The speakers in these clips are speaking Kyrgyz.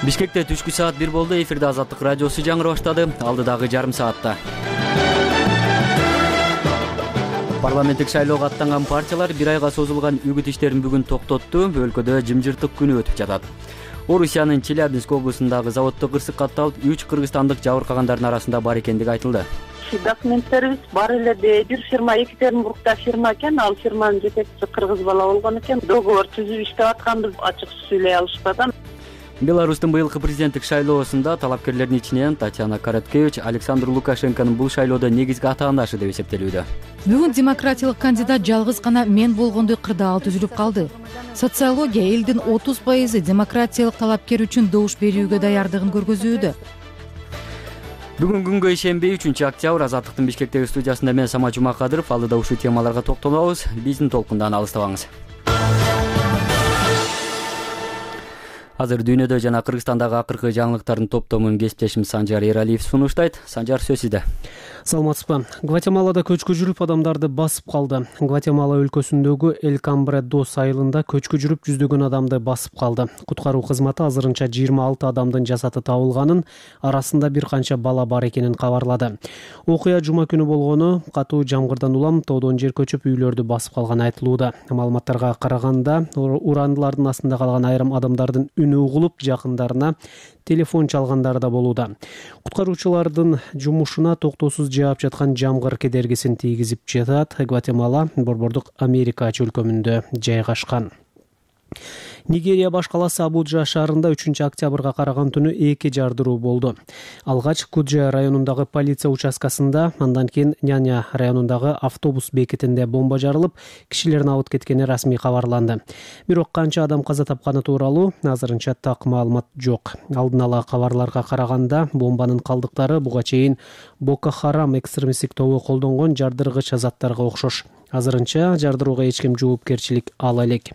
Бишкекте түшкү саат 1 болду. Эфирде Азаттык радиосу жаңыры баштады. Алдыдагы жарым саатта парламенттик шайлоого аттанган партиялар бир айга созулган үгүт иштерин бүгүн токтотту. Өлкөдө жымжырттык күнү өтүп жатат. Орусиянын Челябинск облусундагы заводдо кырсык катталып, 3 кыргызстандык жабыркагандардын арасында бар экендиги айтылды. Документтерибиз бар эле. Бир фирма Екатеринбургда фирма экен, ал фирманын жетекчиси кыргыз бала болгон экен. Договор түзүп иштеп атканбыз, ачык сүйлөй алышпадан. Беларустун быйылкы президенттик шайлоосунда талапкерлердин ичинен Татьяна Короткевич Александр Лукашенконун бул шайлоодо негизги атаандашы деп эсептелүүдө. Бүгүн демократиялык кандидат жалгыз гана мен болгондой кырдаал түзүлүп калды. Социология элдин 30% демократиялык талапкер үчүн добуш берүүгө даярдыгын көргөзүүдө. Бүгүн күнгө ишенбей 3-октябрь Азаттыктын Бишкектеги студиясында мен Самат Жумакадыров. Алдыда ушул темаларга токтолобуз. Биздин толкундан алыстабаңыз. Азыр дүйнөдө жана Кыргызстандагы акыркы жаңылыктардын топтомун кесиптешим Санжар Эралиев сунуштайт. Санжар, сөз сизде. Саламатсызбы. Гватемалада көчкү жүрүп адамдарды басып калды. Гватемала өлкөсүндөгү Эль-Камбре-дос айылында көчкү жүрүп жүздөгөн адамды басып калды. Куткаруу кызматы азырынча 26 адамдын жасаты табылганын, арасында бир канча бала бар экенин кабарлады. Окуя жума күнү болгону, катуу жамгырдан улам тоодон жер көчүп үйлөрдү басып калганы айтылууда. Маалыматтарга караганда, урандылардын астында калган айрым адамдардын үнү угулуп, жакындарына телефон чалгандар да болууда. Куткаруучулардын жумушуна токтоосуз жаап жаткан жамгыр кедергисин тийгизип жатат. Гватемала Борбордук Америка чөлкөмүндө жайгашкан. Нигерия баш каласы Абуджа шаарында 3-октябрга караган түнү 2 жардыруу болду. Алгач Куджа районундагы полиция участкасында, андан кийин Няня районундагы автобус бекетинде бомба жарылып, кишилердин абыт кеткени расмий кабарланды. Бирок канча адам каза тапканы тууралуу азырынча так маалымат жок. Алдын ала кабарларга караганда, бомбанын калдыктары буга чейин Боко Харам экстремисттик тобу колдонгон жардыргыч заттарга окшош. Азырынча жардырууга эч ким жоопкерчилик ала элек.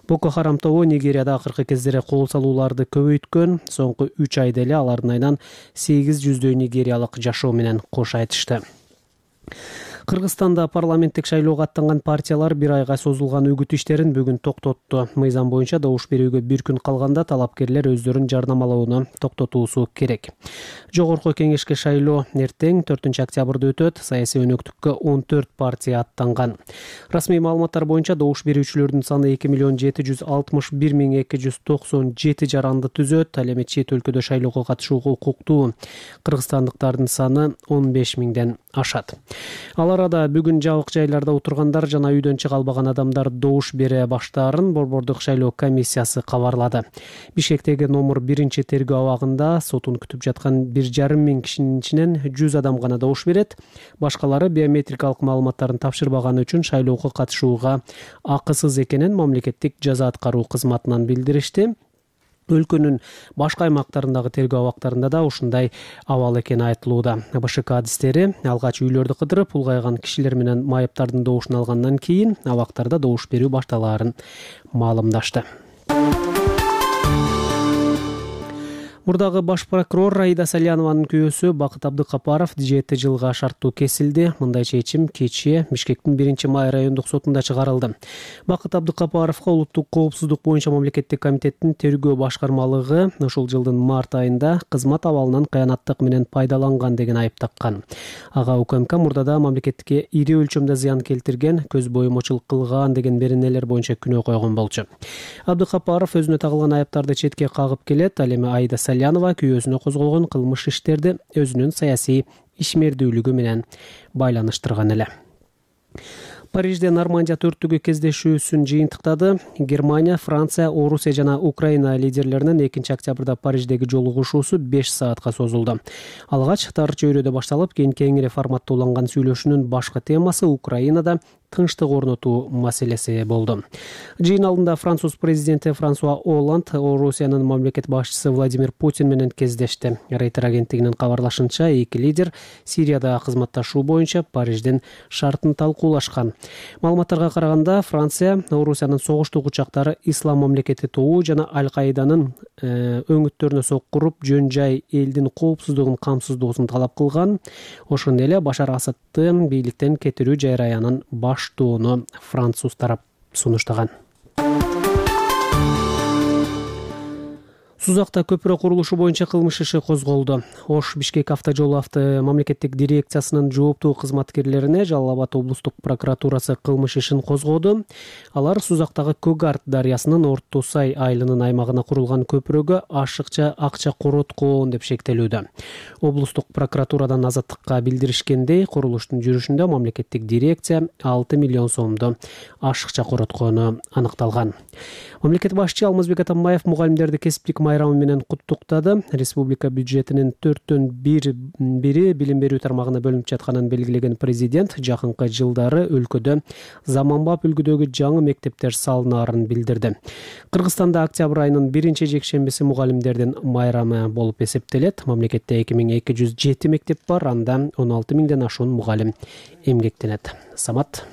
Боко Харам тобу Нигерияда акыркы кездери кол салууларды көбөйткөн. Соңку 3 айда эле алардын айынан 800 нигериялык жашоо менен кош айтышты. Кыргызстанда парламенттик шайлоого аттанган партиялар бир айга созулган үгүт иштерин бүгүн токтотту. Мыйзам боюнча добуш берүүгө бир күн калганда талапкерлер өздөрүн жарнамалоону токтотуусу керек. Жогорку кеңешке шайлоо эртең 4-октябрда өтөт. Саясий өнөктүккө 14 партия аттанган. Расмий маалыматтар боюнча добуш берүүчүлөрдүн саны 2,761,297 жаранды түзөт. Ал эми чет өлкөдө шайлоого катышууга укуктуу кыргызстандыктардын саны 15 000ден ашат. Ал арада бүгүн жабык жайларда отургандар жана үйдөн чыга албаган адамдар добуш бере баштаарын Борбордук шайлоо комиссиясы кабарлады. Бишкектеги номер 1 тергөө абагында сотун күтүп жаткан 1,5 миң кишинин ичинен 100 адам гана добуш берет. Башкалары биометрикалык маалыматтарын тапшырбаганы үчүн шайлоого катышууга акысыз экенин мамлекеттик жаза аткаруу кызматынан билдиришти. Өлкөнүн башка аймактарындагы тергөө абактарында да ушундай абал экени айтылууда. БШК адистери алгач үйлөрдү кыдырып, улгайган кишилер менен майыптардын добушун алгандан кийин абактарда добуш берүү башталаарын маалымдашты. Мурдагы баш прокурор Аида Салянованын күйөөсү Бакыт Абдыкапаров 7 жылга шарттуу кесилди. Мындай чечим кечээ Бишкектин 1-май райондук сотунда чыгарылды. Бакыт Абдыкапаровго улуттук коопсуздук боюнча мамлекеттик комитеттин тергөө башкармалыгы ушул жылдын март айында кызмат абалынан кыянаттык менен пайдаланган деген айып таккан. Ага УКМК мурдада мамлекетке ири өлчөмдө зыян келтирген, көз боюмочулук кылган деген беренелер боюнча күнөө койгон болчу. Абдыкапаров өзүнө тагылган айыптарды четке кагып келет. Ал эми Аида Салянова күйөөсүнө козголгон кылмыш иштерди өзүнүн саясий ишмердүүлүгү менен байланыштырган эле. Парижде Нормандия төрттүгү кездешүүсүн жыйынтыктады. Германия, Франция, Орусия жана Украина лидерлеринин 2-октябрда Париждеги жолугушуусу 5 саатка созулду. Алгач тар чөйрөдө башталып, кийин кеңири форматта уланган сүйлөшүүнүн башкы темасы Украинада тынчтык орнотуу маселеси болду. Жыйын алдында француз президенти Франсуа Олланд Орусиянын мамлекет башчысы Владимир Путин менен кездешти. Рейтер агенттигинин кабарлашынча, эки лидер Сирияда кызматташуу боюнча Париждин шартын талкуулашкан. Маалыматтарга караганда, Франция Орусиянын согуштук учактары Ислам мамлекети тобу жана Аль-Каиданын өңүттөрүнө соккуруп, жөн жай элдин коопсуздугун камсыздоосун талап кылган. Ошондой эле Башар Асадты бийликтен кетирүү жайраянын баштоону француз тарап сунуштаган. Сузакта көпүрө курулушу боюнча кылмыш иши козголду. Ош Бишкек автожолу мамлекеттик дирекциясынын жооптуу кызматкерлерине Жалал Абад облустук прокуратурасы кылмыш ишин козгоду. Алар Сузактагы Көгарт дарыясынын Орто Сай айылынын аймагына курулган көпүрөгө ашыкча акча короткон деп шектелүүдө. Облустук прокуратурадан Азаттыкка билдиришкендей, курулуштун жүрүшүндө мамлекеттик дирекция 6 миллион сомду ашыкча короткону аныкталган. Мамлекет башчы Алмазбек Атамбаев мугалимдерди кесиптик майрамы менен куттуктады. Республика бюджетинин 4/1 билим берүү тармагына бөлүнүп жатканын белгилеген президент жакынкы жылдары өлкөдө заманбап үлгүдөгү жаңы мектептер салынаарын билдирди. Кыргызстанда октябрь айынын 1-жекшембиси мугалимдердин майрамы болуп эсептелет. Мамлекетте 2207 мектеп бар, анда 16 миңден ашуун мугалим эмгектенет. Самат.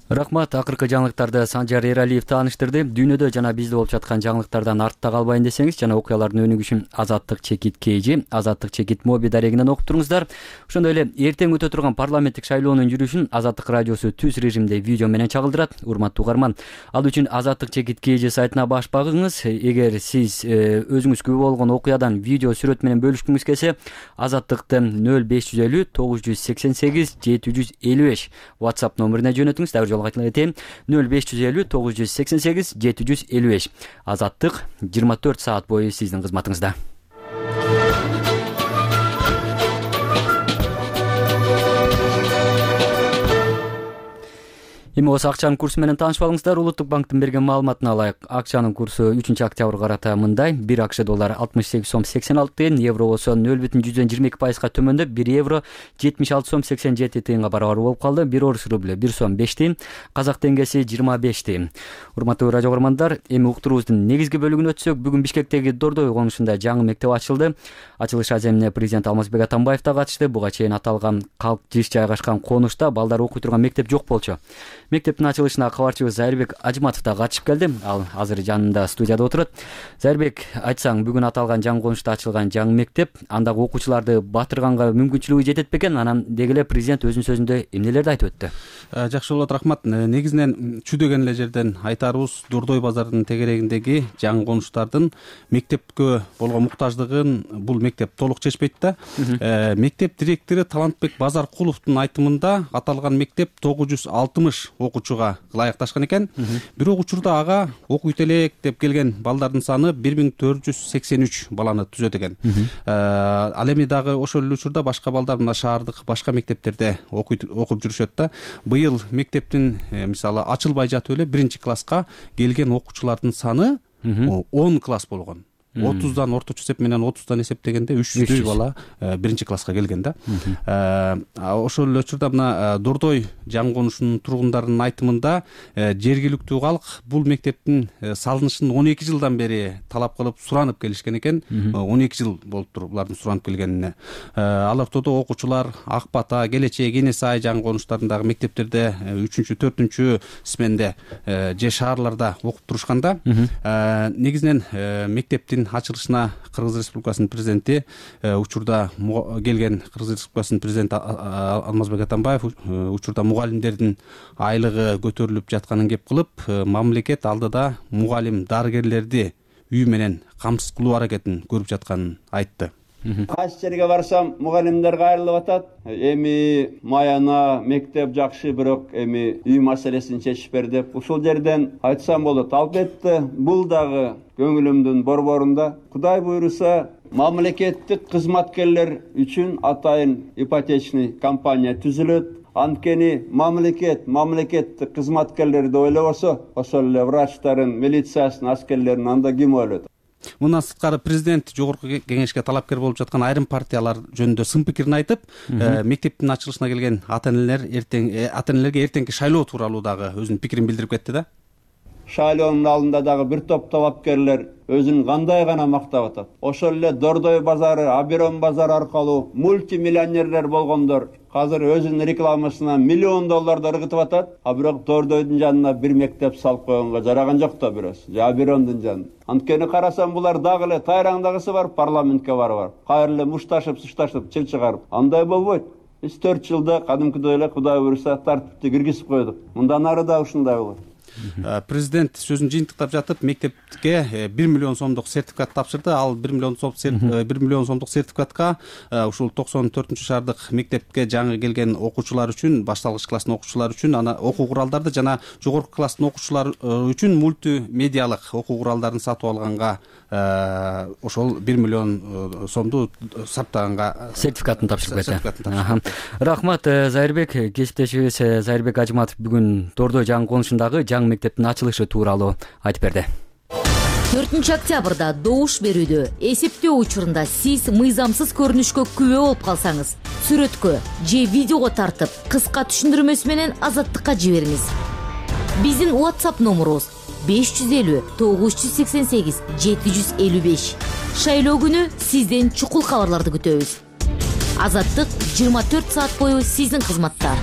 Рахмат. Акыркы жаңылыктарды Санжар Эралиев тааныштырды. Дүйнөдө жана бизде болуп жаткан жаңылыктардан артта калбайын десеңиз жана окуялардын өнүгүшүн Азаттык чекит KG, Азаттык чекит моби дарегинен окуп туруңуздар. Ошондой эле эртең өтө турган парламенттик шайлоонун жүрүшүн Азаттык радиосу түз режимде видео менен чагылдырат. Урматтуу угарман, ал үчүн Азаттык чекит KG сайтына баш багыңыз. Эгер сиз өзүңүз күбө болгон окуядан видео сүрөт менен бөлүшкүңүз келсе, Азаттыкты 0550 988 755 WhatsApp номерине жөнөтүңүз. Айтайын 0550 988 755. Азаттык 24 саат бою сиздин кызматыңызда. Эми осы акчанын курсу менен таанышып алыңыздар. Улуттук банктын берген маалыматына алайык. Акчанын курсу 3-октябрь карата мындай: 1 акш доллар 68 сом 86 тыйын, евро болсо 0,122%га төмөндөп 1 евро 76 сом 87 тыйынга барабар болуп калды. 1 орус рубль 1 сом 5 тыйын, казак теңгеси 25 тыйын. Урматтуу радио көрөрмандар, эми уктуруубуздун негизги бөлүгүнө өтсөк, бүгүн Бишкектеги Дордой конушунда жаңы мектеп ачылды. Ачылыш аземине президент Алмазбек Атамбаев да катышты. Буга чейин аталган калк жиш жайгашкан конушта балдар окуй турган мектеп жок болчу. Мектептин ачылышына кабарчыбыз Зайырбек Ажматов да катышып келди. Ал азыр жанында студияда отурат. Зайырбек, айтсаң, бүгүн аталган жаңы конушта ачылган жаңы мектеп андагы окуучуларды батырганга мүмкүнчүлүгү жетет бекен? Анан деги эле президент өзүнүн сөзүндө эмнелерди айтып өттү? Жакшы болот, рахмат. Негизинен чүдөгөн эле жерден айтарыбыз, Дордой базарынын тегерегиндеги жаңы конуштардын мектепкө болгон муктаждыгын бул мектеп толук чечпейт да. Мектеп директору Талантбек Базаркуловдун айтымында аталган мектеп 960 окуучуга ылайыкташкан экен. Бирок учурда ага окуйт элек деп келген балдардын саны 1483 баланы түзөт экен. Ал эми дагы ошол эле учурда башка балдар мына шаардык башка мектептерде окуп жүрүшөт да. Быйыл мектептин мисалы ачылбай жатып эле 1-класска келген окуучулардын саны 10 класс болгон. 30дан орточо эсеп менен 30дан эсептегенде 300 бала 1-класска келген да. Ошол эле учурда мына Дордой жаңы конушунун тургундарынын айтымында жергиликтүү калк бул мектептин салынышын 12 жылдан бери талап кылып суранып келишкен экен. 12 жыл болуптур булардын суранып келгенине. Ал ортодо окуучулар Ак Бата, Келечек, Эне Сай жаңы конуштарындагы мектептерде 3-4 сменде же шаарларда окуп турушканда, негизинен мектептин ачылышына Кыргыз Республикасынын президенти учурда келген Кыргыз Республикасынын президенти Алмазбек Атамбаев учурда мугалимдердин айлыгы көтөрүлүп жатканын кеп кылып, мамлекет алдыда мугалим дарыгерлерди үй менен камсыз кылуу аракетин көрүп жатканын айтты. Кайсы жерге барсам мугалимдер кайрылып атат. Эми маяна мектеп жакшы, бирок эми үй маселесин чечип бер деп. Ушул жерден айтсам болот. Албетте бул дагы көңүлүмдүн борборунда. Кудай буйруса, мамлекеттик кызматкерлер үчүн атайын ипотечный компания түзүлөт. Анткени мамлекеттик кызматкерлерди ойлобосо, ошол эле врачтарын, милициясын, аскерлерин анда ким ойлойт? Мындан сырткары президент жогорку кеңешке талапкер болуп жаткан айрым партиялар жөнүндө сын пикирин айтып, мектептин ачылышына келген ата-энелерге эртеңки шайлоо тууралуу дагы өзүнүн пикирин билдирип кетти да. Шайлоонун алдында дагы бир топ талапкерлер өзүн кандай гана мактап атат. Ошол эле Дордой базары, Абирон базары аркылуу мультимиллионерлер болгондор азыр өзүнүн рекламасына $1 миллион ыргытып атат. А бирок Дордойдун жанына бир мектеп салып койгонго жараган жок да бирөөсү. Же Абирондун жанына. Анткени карасам булар дагы эле тайраңдагысы бар, парламентке барып, кайра эле мушташып, сушташып, чил чыгарып. Андай болбойт. Биз 4 жылда кадимкидей эле Кудай буйруса тартипти киргизип койдук. Мындан ары да ушундай болот. Президент сөзүн жыйынтыктап жатып мектепке 1 миллион сомдук сертификат тапшырды. Ал 1 миллион сомдук сертификатка ушул 94 шаардык мектепке жаңы келген окуучулар үчүн, башталгыч класстын окуучулары үчүн, ана окуу куралдарды жана жогорку класстын окуучулары үчүн мультимедиалык окуу куралдарын сатып алганга ошол 1 миллион сомду саптаганга сертификатын тапшырып кетти. Рахмат Зайырбек. Кесиптешибиз Зайырбек Ажыматов бүгүн Дордой жаңы конушундагы жаңы мектептин ачылышы тууралуу айтып берди. 4 октябрда добуш берүүдө эсептөө учурунда сиз мыйзамсыз көрүнүшкө күбө болуп калсаңыз, сүрөткө же видеого тартып, кыска түшүндүрмөсү менен Азаттыкка жибериңиз. Биздин WhatsApp номерубуз 550 988 755. Шайлоо күнү сизден чукул кабарларды күтөбүз. Азаттык 24 саат бою сиздин кызматта.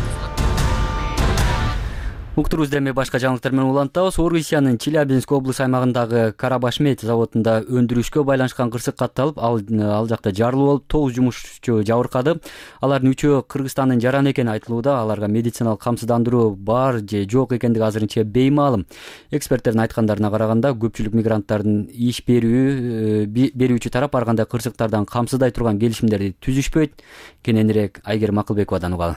Уктурубузда эми башка жаңылыктар менен улантабыз. Орусиянын Челябинск облус аймагындагы Карабашмет заводунда өндүрүшкө байланышкан кырсык катталып, ал жакта жарылуу болуп, 9 жумушчу жабыркады. Алардын 3-өө Кыргызстандын жараны экени айтылууда. Аларга медициналык камсыздандыруу бар же жок экендиги азырынча беймаалым. Эксперттердин айткандарына караганда, көпчүлүк мигранттардын иш берүүчү тарап ар кандай кырсыктардан камсыздай турган келишимдерди түзүшпөйт. Кененирээк Айгерим Акылбековадан угалы.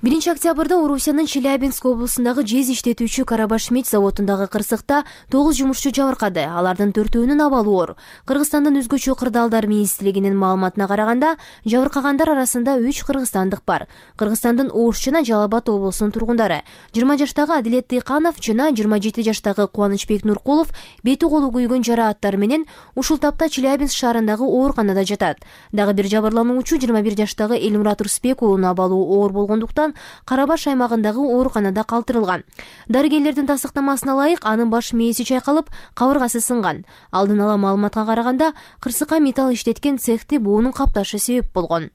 1 октябрда Орусиянын Челябинск облусундагы жез иштетүүчү Карабашмет заводундагы кырсыкта 9 жумушчу жабыркады. Алардын 4-өөнүн абалы оор. Кыргызстандын өзгөчө кырдаалдар министрлигинин маалыматына караганда, жабыркагандар арасында 3 кыргызстандык бар. Кыргызстандын Ош жана Жалал Абад облусунун тургундары. 20 жаштагы Адилет Тыйканов жана 27 жаштагы Кубанычбек Нуркулов бети колу күйгөн жарааттар менен ушул тапта Челябинск шаарындагы ооруканада жатат. Дагы бир жабырлануучу 21 жаштагы Элмурат Рысбек уулунун абалы оор болгондуктан Карабаш аймагындагы ооруканада калтырылган. Дарыгерлердин тасыктамасына ылайык анын баш мээси чайкалып, кабыргасы сынган. Алдын ала маалыматка караганда, кырсыкка металл иштеткен цехти буунун капташы себеп болгон.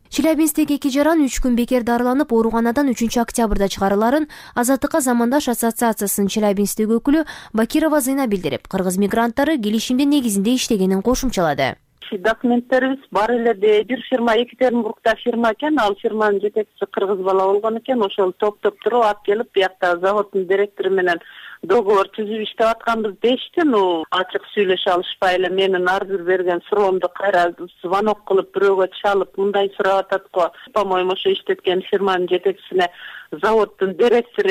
Челябинсктеги 2 жаран 3 күн бекер дарыланып, ооруканадан 3 октябрда чыгарыларын Азаттыкка замандаш ассоциациясынын Челябинсктеги өкүлү Бакирова Зыйна билдирип, кыргыз мигранттары келишимдин негизинде иштегенин кошумчалады. Документтерибиз бар эле бир фирма Екатеринбургда фирма экен, ал фирманын жетекчиси кыргыз бала болгон экен. Ошол топтоп туруп алып келип, биякта заводдун директору менен договор түзүп иштеп атканбыз дешти. Ачык сүйлөшө алышпай эле менин ар бир берген суроомду кайра звонок кылып бирөөгө чалып, мындай сурап атат го. По-моему, ошо иштеткен фирманын жетекчисине заводдун директору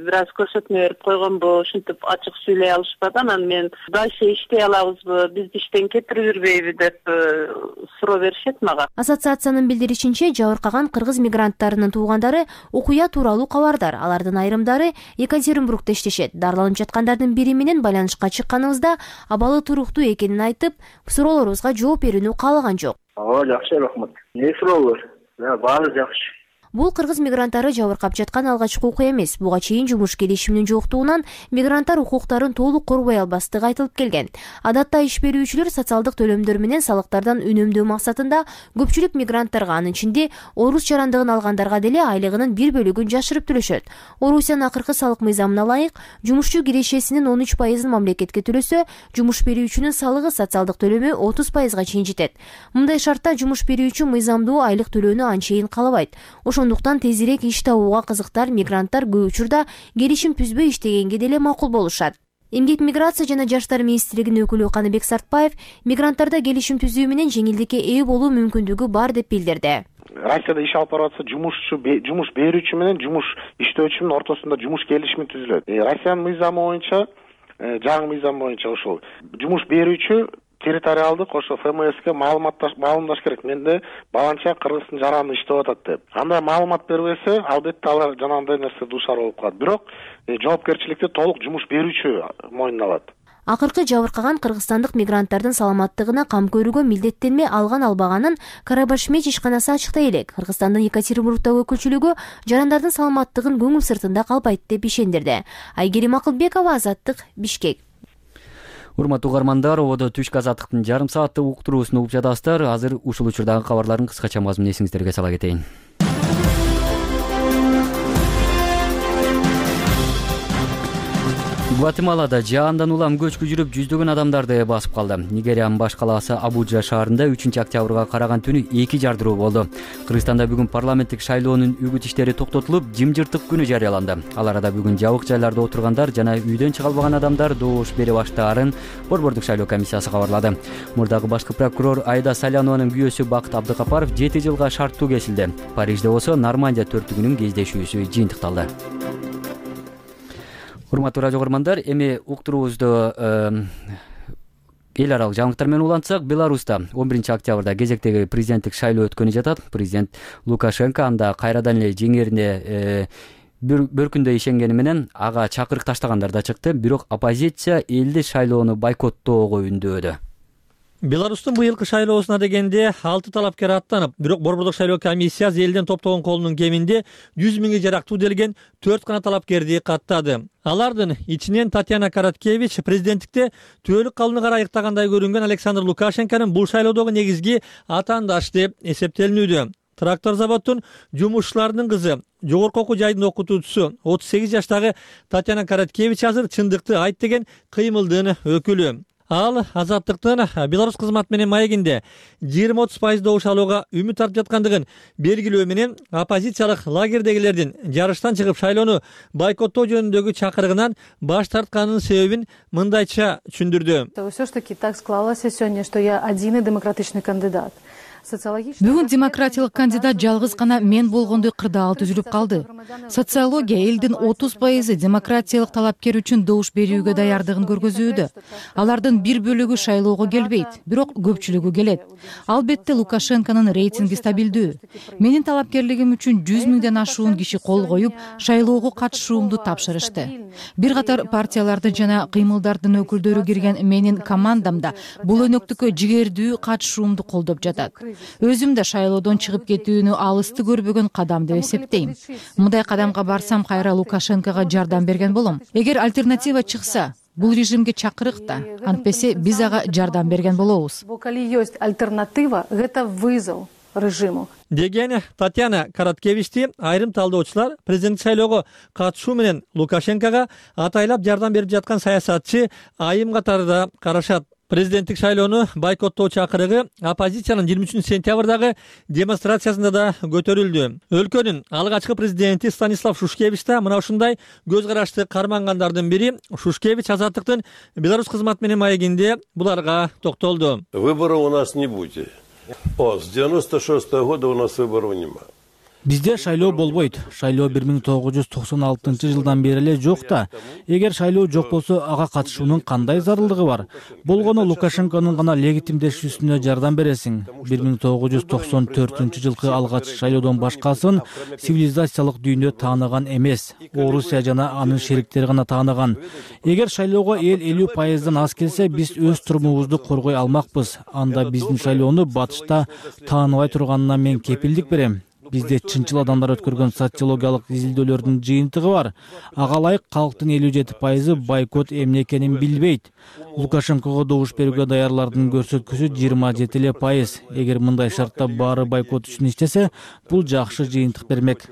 бир аз көрсөтмө берип койгонбу, ушинтип ачык сүйлөй алышпады. Анан мен дальше иштей алабызбы, бизди иштен кетирип жүрбөйбү деп суроо беришет мага. Ассоциациянын билдиришинче, жабыркаган кыргыз мигранттарынын туугандары окуя тууралуу кабардар. Алардын айрымдары Екатеринбургда иштешет. Дарыланып жаткандардын бири менен байланышка чыкканыбызда абалы туруктуу экенин айтып, суроолорубузга жооп берүүнү каалаган жок. Жакшы, рахмат. Не суроолор? Баары жакшы. Бул кыргыз мигранттары жабыркап жаткан алгачкы окуя эмес. Буга чейин жумуш келишиминин жоктугунан мигранттар укуктарын толук корбой албастыгы айтылып келген. Адатта иш берүүчүлөр социалдык төлөмдөр менен салыктардан үнөмдөө максатында көпчүлүк мигранттарга, анын ичинде орус жарандыгын алгандарга деле айлыгынын бир бөлүгүн жашырып төлөшөт. Орусиянын акыркы салык мыйзамына ылайык, жумушчу кирешесинин 13% мамлекетке төлөсө, жумуш берүүчүнүн салыгы социалдык төлөмү 30%га чейин жетет. Мындай шартта жумуш берүүчү мыйзамдуу айлык төлөөнү анчейин каалабайт. Ошондуктан тезирээк иш табууга кызыктар мигранттар көп учурда келишим түзбөй иштегенге деле макул болушат. Эмгек миграция жана жаштар министрлигинин өкүлү Каныбек Сартбаев мигранттарда келишим түзүү менен жеңилдикке ээ болуу мүмкүндүгү бар деп билдирди. Россияда иш алып барып атса, жумуш берүүчү менен жумуш иштөөчүнүн ортосунда жумуш келишими түзүлөт. Россиянын мыйзамы боюнча, жаңы мыйзам боюнча ошол жумуш берүүчү территориалдык ошо ФМСке маалымдаш керек. Менде баланча Кыргыздын жараны иштеп атат деп. Андай маалымат бербесе, албетте алар жанагындай нерсе дуушар болуп калат. Бирок жоопкерчиликти толук жумуш берүүчү мойнуна алат. Акыркы жабыркаган кыргызстандык мигранттардын саламаттыгына кам көрүүгө милдеттенме алган-албаганын Карабашмет ишканасы ачыктай элек. Кыргызстандын Екатеринбургдагы өкүлчүлүгү жарандардын саламаттыгын көңүл сыртында калбайт деп ишендирди. Айгерим Акылбекова, Азаттык, Бишкек. Урматтуу угармандар, ободо түшкү Азаттыктын жарым сааттык уктуруусун угуп жатасыздар. Азыр ушул учурдагы кабарлардын кыскача мазмунун эсиңиздерге сала кетейин. Гватемалада жаандан улам көчкү жүрүп жүздөгөн адамдарды басып калды. Нигериянын баш калаасы Абуджа шаарында 3-октябрга караган түнү 2 жардыруу болду. Кыргызстанда бүгүн парламенттик шайлоонун үгүт иштери токтотулуп, жымжыртык күнү жарыяланды. Ал арада бүгүн жабык жайларда отургандар жана үйдөн чыга албаган адамдар добуш бере баштаарын Борбордук шайлоо комиссиясы кабарлады. Мурдагы башкы прокурор Айда Салянованын күйөөсү Бакыт Абдыкапаров 7 жылга шарттуу кесилди. Парижде болсо Нормандия төрттүгүнүн кездешүүсү жыйынтыкталды. Урматтуу радио көрөрмандар, эми уктуруубузду эл аралык жаңылыктар менен улантсак, Беларуста 11-октябрда кезектеги президенттик шайлоо өткөнү жатат. Президент Лукашенко анда кайрадан эле жеңерине бір күндө ишенгени менен ага чакырык таштагандар да чыкты. Бирок оппозиция элди шайлоону бойкоттоого үндөөдө. Беларустун быйылкы шайлоосуна дегенде 6 талапкер аттанып, бирок Борбордук шайлоо комиссиясы элден топтогон колунун кеминде 100 миңге жарактуу делген 4 гана талапкерди каттады. Алардын ичинен Татьяна Короткевич президенттикте түбөлүк калууну карайыктагандай көрүнгөн Александр Лукашенконун бул шайлоодогу негизги атаандашы деп эсептелинүүдө. Трактор заводдун жумушчуларынын кызы, жогорку окуу жайдын окутуучусу 38 жаштагы Татьяна Короткевич азыр чындыкты айт деген кыймылдын өкүлү. Ал Азаттыктын Беларусь кызмат менен маегинде 20-30% добуш алууга үмүт артып жаткандыгын белгилөө менен оппозициялык лагердегилердин жарыштан чыгып шайлоону бойкоттоо жөнүндөгү чакырыгынан баш тартканынын себебин мындайча түшүндүрдү. Всё ж таки так склалось сегодня, что я один демократичный кандидат. Бүгүн демократиялык кандидат жалгыз гана мен болгондой кырдаал түзүлүп калды. Социология элдин 30% демократиялык талапкер үчүн добуш берүүгө даярдыгын көргөзүүдө. Алардын бир бөлүгү шайлоого келбейт, бирок көпчүлүгү келет. Албетте Лукашенконун рейтинги стабилдүү. Менин талапкерлигим үчүн 100 миңден ашуун киши кол коюп, шайлоого катышуумду тапшырышты. Бир катар партиялардын жана кыймылдардын өкүлдөрү кирген менин командамда бул өнөктүккө жигердүү катышуумду колдоп жатат. Өзүм да шайлоодон чыгып кетүүнү алысты көрбөгөн кадам деп эсептейм. Мындай кадамга барсам кайра Лукашенкого жардам берген болом. Эгер альтернатива чыкса, бул режимге чакырык да, антпесе биз ага жардам берген болобуз. Коли есть альтернатива, это вызов режиму. Деген Татьяна Короткевичти айрым талдоочулар президенттик шайлоого катышуу менен Лукашенкого атайлап жардам берип жаткан саясатчы айым катарында карашат. Президенттик шайлоону бойкоттоо чакырыгы оппозициянын 23-сентябрдагы демонстрациясында да көтөрүлдү. Өлкөнүн алгачкы президенти Станислав Шушкевич да мына ушундай көз карашты кармангандардын бири. Шушкевич Азаттыктын Беларусь кызмат менен маегинде буларга токтолду. Выборов у нас не будет. С 96-го года у нас выборов нема. Бизде шайлоо болбойт. Шайлоо 1996 жылдан бери эле жок да. Эгер шайлоо жок болсо, ага катышуунун кандай зарылдыгы бар? Болгону Лукашенконун гана легитимдешүүсүнө жардам бересиң. 1994 жылкы алгач шайлоодон башкасын цивилизациялык дүйнө тааныган эмес. Орусия жана анын шериктери гана тааныган. Эгер шайлоого эл 50%дан аз келсе, биз өз турумубузду коргой алмакпыз. Анда биздин шайлоону батышта тааныбай турганына мен кепилдик берем. Бизде чынчыл адамдар өткөргөн социологиялык изилдөөлөрдүн жыйынтыгы бар. Ага ылайык калктын 57% бойкот эмне экенин билбейт. Лукашенкого добуш берүүгө даярлардын көрсөткүсү 27%. Эгер мындай шартта баары бойкот үчүн иштесе, бул жакшы жыйынтык бермек.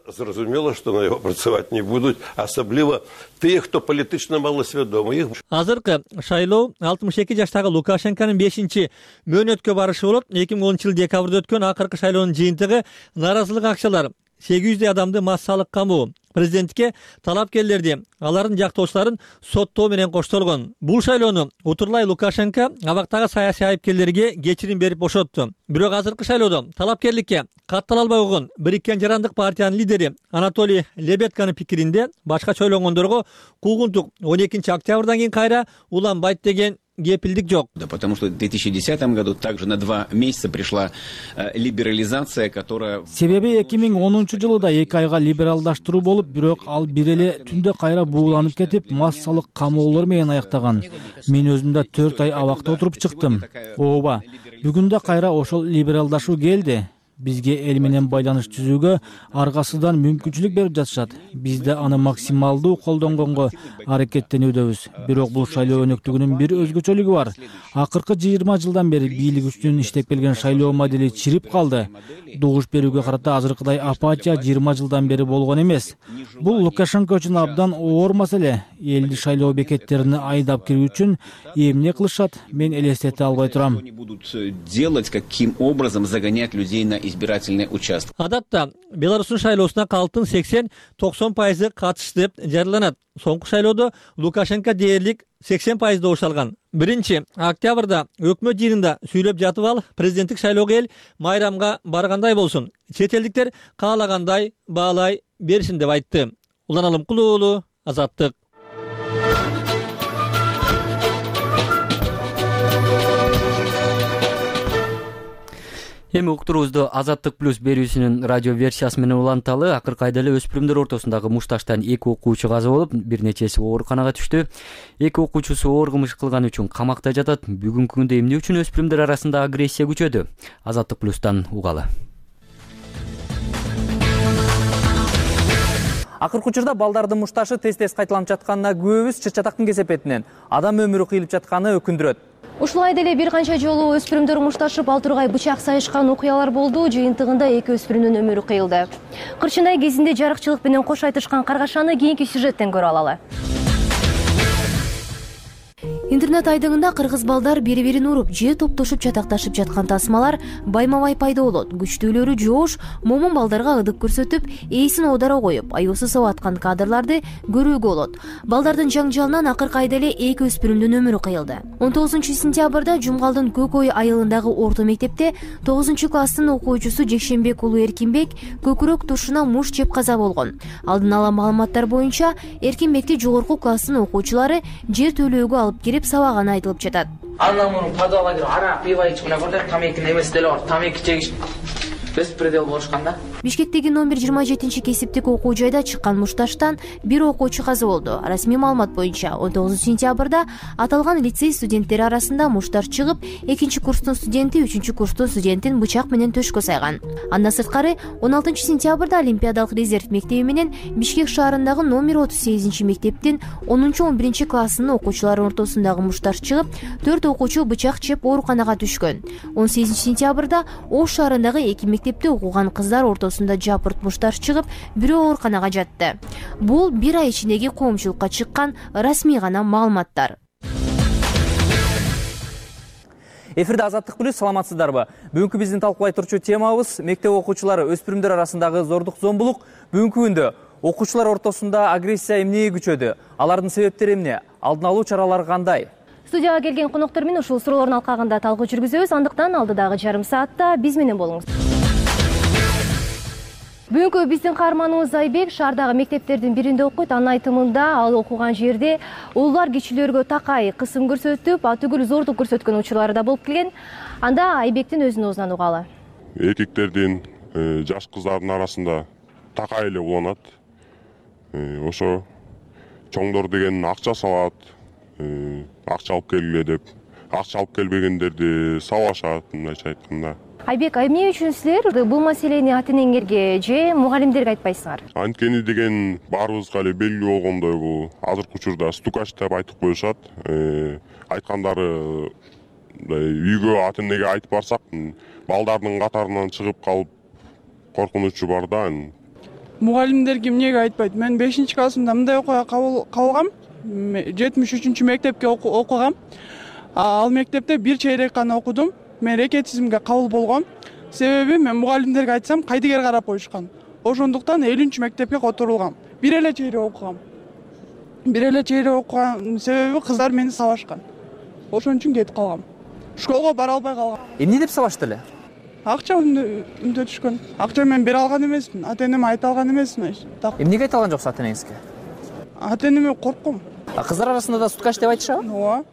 Зрозумело, что на его працаваць не будут, особливо те, кто политично малосведомы. Азыркы шайлоо 62 жаштагы Лукашенконун 5-чи мөөнөткө барышы болуп, 2010 жыл декабрда өткөн акыркы шайлоонун жыйынтыгы наразылык акчалар 800 адамды массалык камоо, президентке талапкерлерди, алардын жактоочуларын соттоо менен коштолгон. Бул шайлоону утурлай Лукашенко абактагы саясий айыпкерлерге кечирим берип бошотту. Бирок азыркы шайлоодо талапкерликке каттала албай койгон Бириккен жарандык партиянын лидери Анатолий Лебедканын пикиринде башкача ойлонгондорго куугунтук 12-октябрдан кийин кайра уланбайт деген кепилдик жок. Да, потому что в 2010 году также на 2 месяца пришла либерализация, которая... Себеби 2010 жылы да 2 айга либералдаштыруу болуп, бирок ал бир эле түндө кайра бууланып кетип, массалык камоолор менен аяктаган. Мен өзүм да 4 ай абакта отуруп чыктым. Ооба, бүгүн да кайра ошол либералдашуу келди. бизге эл менен байланыш түзүүгө аргасыздан мүмкүнчүлүк берип жатышат. Биз да аны максималдуу колдонгонго аракеттенүүдөбүз. Бирок бул шайлоо өнөктүгүнүн бир өзгөчөлүгү бар. Акыркы 20 жылдан бери бийлик үстүнөн иштеп келген шайлоо модели чирип калды. Добуш берүүгө карата азыркыдай апатия 20 жылдан бери болгон эмес. Бул Лукашенко үчүн абдан оор маселе. Элди шайлоо бекеттерине айдап кирүү үчүн эмне кылышат, мен элестете албай турам. Делать, каким образом загонять людей на избирательный участок. Адатта Беларустун шайлоосуна калктын 80-90% катышты деп жарыяланат. Соңку шайлоодо Лукашенко дээрлик 80% добуш алган. 1-октябрда өкмөт жыйынында сүйлөп жатып ал, президенттик шайлоого эл майрамга баргандай болсун, чет элдиктер каалагандай баалай беришин деп айтты. Улан Алымкулуу уулу, Азаттык. Эми уктуруубузду Азаттык плюс берүүсүнүн радио версиясы менен уланталы. Акыркы айда эле өспүрүмдөр ортосундагы мушташтан 2 окуучу каза болуп, бир нечеси ооруканага түштү. 2 окуучусу оор кылмыш кылганы үчүн камакта жатат. Бүгүнкү күндө эмне үчүн өспүрүмдөр арасында агрессия күчөдү? Азаттык плюстан угалы. Акыркы учурда балдардын мушташы тез-тез кайталанып жатканына күбөбүз. Чыр-чатактын кесепетинен адам өмүрү кыйылып жатканы өкүндүрөт. Ушул айда эле бир канча жолу өспүрүмдөр мушташып ал тургай бычак сайышкан окуялар болду. Жыйынтыгында 2 өспүрүмдүн өмүрү кыйылды. Кырчынай кезинде жарыкчылык менен кош айтышкан каргашаны кийинки сюжеттен көрө алалы. Интернет айдыңында кыргыз балдар бири-бирин уруп же топтошуп чатакташып жаткан тасмалар байма-бай пайда болот. Күчтүүлөрү жоош момун балдарга ыдык көрсөтүп, ээсин оодаро коюп, аюусу сап аткан кадрларды көрүүгө болот. Балдардын жаңжалынан акыркы айда эле 2 өспүрүмдүн өмүрү кыйылды. 19-сентябрда Жумгалдын Көкөй айылындагы орто мектепте 9-класстын окуучусу Жекшенбек уулу Эркинбек көкүрөк тушуна муш жеп каза болгон. Алдын ала маалыматтар боюнча Эркинбекти жогорку класстын окуучулары жер төлөөгө алып кирип сабаганы айтылып жатат. Андан муну подвалга кирип арак пиво ичип мына көрдүк, тамекини эмес деле бар. Тамеки чегиш беспредел болушкан да. Бишкектеги номер 27-кесиптик окуу жайда чыккан мушташтан бир окуучу каза болду. Расмий маалымат боюнча 19-сентябрда аталган лицей студенттери арасында мушташ чыгып, 2-курстун студенти 3-курстун студентин бычак менен төшкө сайган. Андан сырткары 16-сентябрда Олимпиадалык резерв мектеби менен Бишкек шаарындагы номер 38-мектептин 10-11 классынын окуучулары ортосундагы мушташ чыгып, 4 окуучу бычак жеп ооруканага түшкөн. 18-сентябрда Ош шаарындагы 2 мектепте окуган кыздар ортосунда жапырт мушташ чыгып, бирөө ооруканага жатты. Бул бир ай ичиндеги коомчулукка чыккан расмий гана маалыматтар. Эфирде Азаттык плюс, саламатсыздарбы? Бүгүнкү биздин талкуулай турчу темабыз мектеп окуучулары өспүрүмдөр арасындагы зордук зомбулук. Бүгүнкү күндө окуучулар ортосунда агрессия эмнеге күчөдү? Алардын себептери эмне? Алдын алуу чаралары кандай? Студияга келген коноктор менен ушул суроолордун алкагында талкуу жүргүзөбүз. Андыктан алдыдагы жарым саатта биз менен болуңуз. Бүгүнкү биздин каарманыбыз Айбек шаардагы мектептердин биринде окуйт. Анын айтымында ал окуган жерде уулдар кичилерге такай кысым көрсөтүп, атүгүл зордук көрсөткөн учурлары да болуп келген. Анда Айбектин өзүнүн оозунан угалы. Эркектердин жаш кыздардын арасында такай эле уланат. Ошо чоңдор деген акча салат, акча алып келгиле деп, акча алып келбегендерди сабашат, мындайча айтканда. Айбек, эмне үчүн силер бул маселени ата-энеңерге же мугалимдерге айтпайсыңар? Анткени деген баарыбызга эле белгилүү болгондой, бул азыркы учурда стукач деп айтып коюшат. Айткандары үйгө ата-энеге айтып барсак, балдардын катарынан чыгып калып коркунучу бар да. Мугалимдерге эмнеге айтпайт? Мен 5-классымда мындай окуяга кабылгам. 73-мектепке окугам. Ал мектепте бир чейрек гана окудум. Мен рекетизмге кабыл болгом. Себеби мен мугалимдерге айтсам кайдыгер карап коюшкан. Ошондуктан 50-мектепке которулгам. Бир эле чейрек окугам. Бир эле чейрек окуган себеби кыздар мени сабашкан. Ошон үчүн кетип калгам. Школго бара албай калгам. Эмне деп сабашты эле? Акча үндөтүшкөн. Акча мен бере алган эмесмин. Ата-энеме айта алган эмесмин. Эмнеге айта алган жоксуз ата-энеңизге? Ата-энеме коркком. Кыздар арасында да стукач деп айтышабы? Ооба.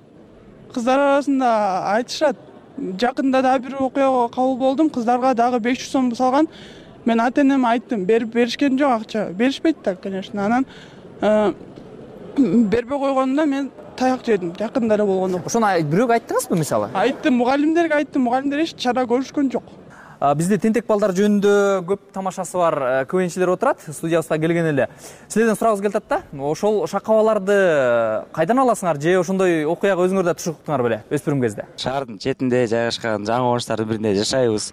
Кыздар арасында айтышат. Жакында да бир окуяга кабыл болдум. Кыздарга дагы 500 сом салган. Мен ата-энеме айттым, беришкен жок акча. Беришпейт да, конечно. Анан бербей койгонунда мен таяк жедим. Жакында эле болгондо. Ошону бирөөгө айттыңызбы мисалы? Айттым, мугалимдерге айттым. Мугалимдер эч чара көрүшкөн жок. Бизде тентек балдар жөнүндө көп тамашасы бар КВНчилер отурат, студиябызга келген эле. Силерден сурагыбыз келип атат да. Ошол шакабаларды кайдан аласыңар же ошондой окуяга өзүңөр да түшүктүңөр беле өспүрүм кезде? Шаардын четинде жайгашкан жаңы коңуштардын биринде жашайбыз.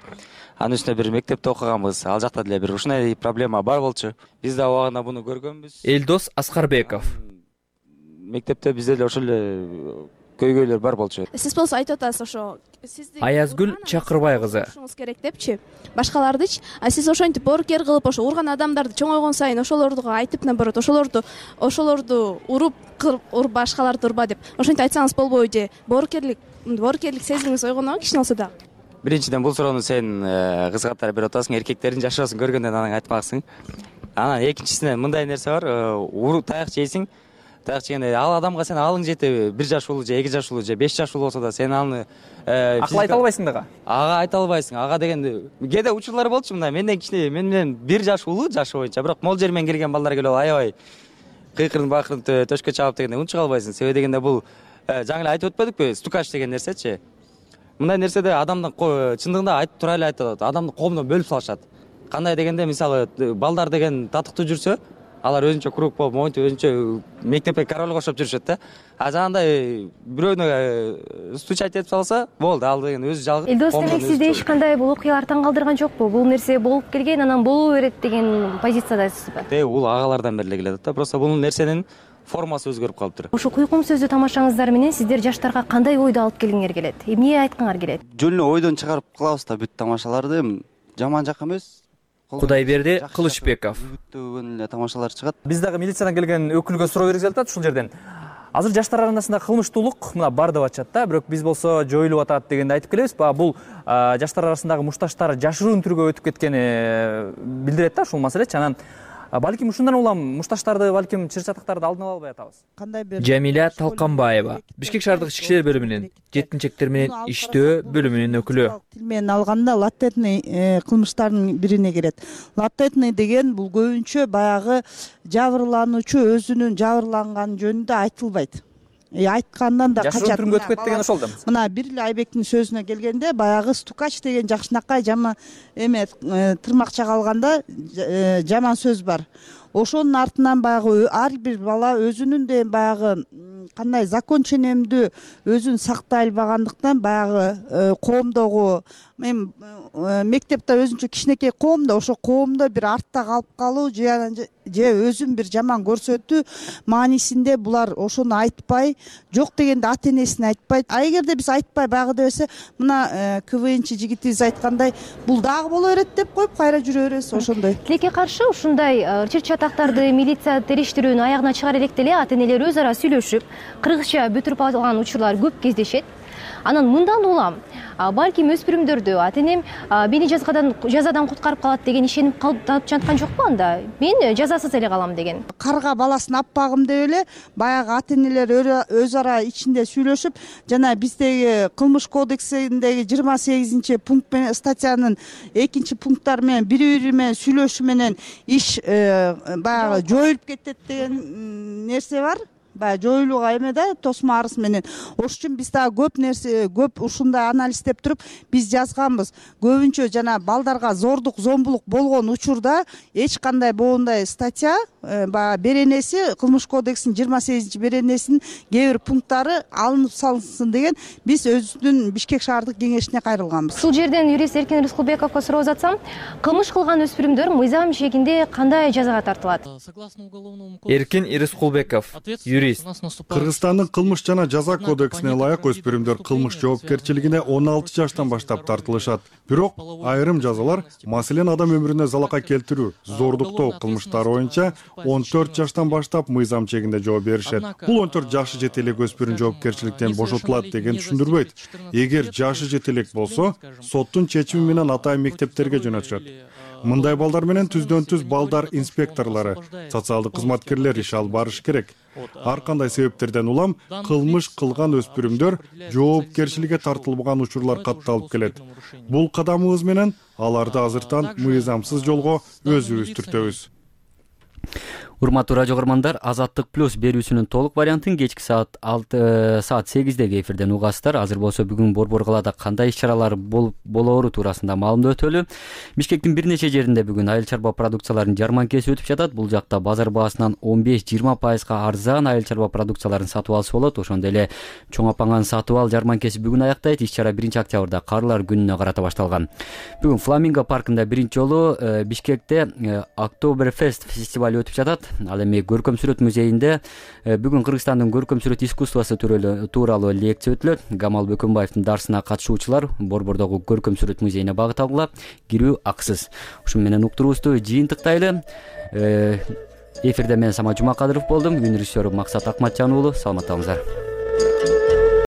Анын үстүнө бир мектепте окуганбыз. Ал жакта деле бир ушундай проблема бар болчу. Биз да убагында буну көргөнбүз. Элдос Аскарбеков. Мектепте бизде деле ошол эле көйгөйлөр бар болчу. Сиз болсо айтып атасыз ошо Аязгүл Чакырбай кызы. Ошоңуз керек депчи. Башкалардычы, сиз ошентип боорукер кылып, ошо урган адамдарды чоңойгон сайын ошолорду айтып наоборот, ошолорду уруп башкаларды урба деп. Ошентип айтсаңыз болбойбу же? Боорукерлик сезимиңиз ойгонобу кичине болсо да? Биринчиден бул суроону сен кыз катары берип атасың, эркектердин жашоосун көргөндөн анан айтмаксың. Анан экинчисинен мындай нерсе бар, таяк жейсиң. Таяк жегенде ал адамга сен алың жетеби, 1 жаш улуу же 2 жаш улуу же 5 жаш улуу болсо да сен аны акыл айта албайсың дагы. Ага айта албайсың. Ага дегенде кээде учурлар болчу мындай. Менден кичине, мен менен 1 жаш улуу жашы боюнча, бирок мол жер менен келген балдар келип аябай кыйкырын бакырын төшкө чабып дегенде унчук албайсың. Себеби дегенде бул жаңы эле айтып өтпөдүкпү? Стукач деген нерсечи. Мындай нерседе адамдын чындыгында айтып тура эле айтып атат. Адамды коомдон бөлүп салышат. Кандай дегенде, мисалы, балдар деген татыктуу жүрсө, алар өзүнчө круг болуп, моинтип өзүнчө мектепке королго окшоп жүрүшөт да. А жанагындай бирөөнө стучать этип салса, болду, ал деген өзү жалгыз. Элдос, демек сизде эч кандай бул окуялар таң калтырган жокпу? Бул нерсе болуп келген, анан боло берет деген позициядасызбы? Бул агалардан бери келе атат да. Просто бул нерсенин формасы өзгөрүп калыптыр. Ошо куйкум сөздүү тамашаңыздар менен сиздер жаштарга кандай ойду алып келгиңер келет? Эмне айткыңар келет? Жөн эле ойдон чыгарып кылабыз да бүт тамашаларды. Жаман жак эмес. Кудайберди Кылычбеков. Бүтүн эле тамашалар чыгат. Биз дагы милициядан келген өкүлгө суроо бергибиз келип атат ушул жерден. Азыр жаштар арасында кылмыштуулук мына бар деп атышат да, бирок биз болсо жоюлуп атат дегенди айтып келебиз. Бул жаштар арасындагы мушташтар жашыруун түргө өтүп кеткени билдирет да ушул маселечи. Анан балким ушундан улам мушташтарды, балким чыр-чатактарды алдын ала албай атабыз. Жамиля Талканбаева, Бишкек шаардык ички иштер бөлүмүнүн жетинчектер менен иштөө бөлүмүнүн өкүлү. Тил менен алганда латентный кылмыштардын бирине кирет. Латентный деген бул көбүнчө баягы жабырлануучу өзүнүн жабырланган жөнүндө айтылбайт. Айткандан да качат. Жашыруун түргө өтүп кетти деген ошол да. Мына бир эле Айбектин сөзүнө келгенде, баягы стукач деген жакшынакай жаман тырмакча калганда жаман сөз бар. Ошонун артынан баягы ар бир бала өзүнүн де баягы кандай закон ченемдүү өзүн сактай албагандыктан баягы коомдогу мектепте өзүнчө кичинекей коомдо, ошо коомдо бир артта калып калуу же өзүн бир жаман көрсөтүү маанисинде булар ошону айтпай, жок дегенде ата энесине айтпайт. А эгерде биз айтпай баягы десе, мына КВНчи жигитибиз айткандай, бул дагы боло берет деп коюп кайра жүрө беребиз ошондой. Тилекке каршы ушундай чыр-чатактарды милиция териштирүүнүн аягына чыгара электе эле ата энелер өз ара сүйлөшүп, кыргызча бүтүрүп алган учурлар көп кездешет. Анан мындан улам балким өспүрүмдөрдү ата энем мени жазадан куткарып калат деген ишенип калып жаткан жокпу анда? Мен жазасыз эле калам деген. Карга баласын аппагым деп эле баягы ата энелер өз ара ичинде сүйлөшүп, жана биздеги кылмыш кодексиндеги 28 пункт менен статьянын 2 пункттары менен бири менен сүйлөшүү менен иш баягы жоюлуп кетет деген нерсе бар. Баягы жоюлууга эме да тосмо арыз менен. Ошон үчүн биз дагы көп ушундай анализдеп туруп биз жазганбыз. Көбүнчө жана балдарга зордук, зомбулук болгон учурда эч кандай боундай статья баягы беренеси кылмыш кодексинин 28 беренесинин кээ бир пункттары алынып салынсын деген биз өзүбүздүн Бишкек шаардык кеңешине кайрылганбыз. Ушул жерден юрист Эркин Рыскулбековго суроо жатсам, кылмыш кылган өспүрүмдөр мыйзам чегинде кандай жазага тартылат? Эркин Рыскулбеков, юрист. Кыргызстандын кылмыш жана жаза кодексине ылайык өспүрүмдөр кылмыш жоопкерчилигине 16 жаштан баштап тартылышат. Бирок айрым жазалар, маселен адам өмүрүнө залака келтирүү, зордуктоо кылмыштары боюнча 14 жаштан баштап мыйзам чегинде жооп беришет. Бул 14 жашы жете элек өспүрүм жоопкерчиликтен бошотулат деген түшүндүрбөйт. Эгер жашы жете элек болсо, соттун чечими менен атайын мектептерге жөнөтүшөт. Мындай балдар менен түздөн-түз балдар инспекторлору, социалдык кызматкерлер иш алып барыш керек. Ар кандай себептерден улам кылмыш кылган өспүрүмдөр жоопкерчиликке тартылбаган учурлар катталып келет. Бул кадамыбыз менен аларды азыртан мыйзамсыз жолго өзүбүз түртөбүз. Урматтуу радио көрөрмандар, Азаттык плюс берүүсүнүн толук вариантын кечки саат 8-деги эфирден угасыздар. Азыр болсо бүгүн Борбор калаада кандай иш-чаралар болоору туурасында маалымдоо өтөлү. Бишкектин бир нече жеринде бүгүн айыл чарба продукцияларынын жарманкеси өтүп жатат. Бул жакта базар баасынан 15-20% арзан айыл чарба продукцияларын сатып алса болот. Ошондой эле чоң апаңан сатып ал жарманкеси бүгүн аяктайт. Иш-чара 1-октябрда Карлар күнүнө карата башталган. Бүгүн Фламинго паркында биринчи жолу Бишкекте Октоберфест фестиваль өтүп жатат. Ал эми көркөм сүрөт музейинде бүгүн Кыргызстандын көркөм сүрөт искусствосу тууралуу лекция өтүлөт. Гамал Бөкөнбаевдин дарсына катышуучулар Борбордогу көркөм сүрөт музейине багыт алгыла. Кирүү акысыз. Ушу менен уктуруубузду жыйынтыктайлы. Эфирде мен Самат Жумакадыров болдум. Үн режиссеру Максат Акматжан уулу. Саламатта болуңуздар.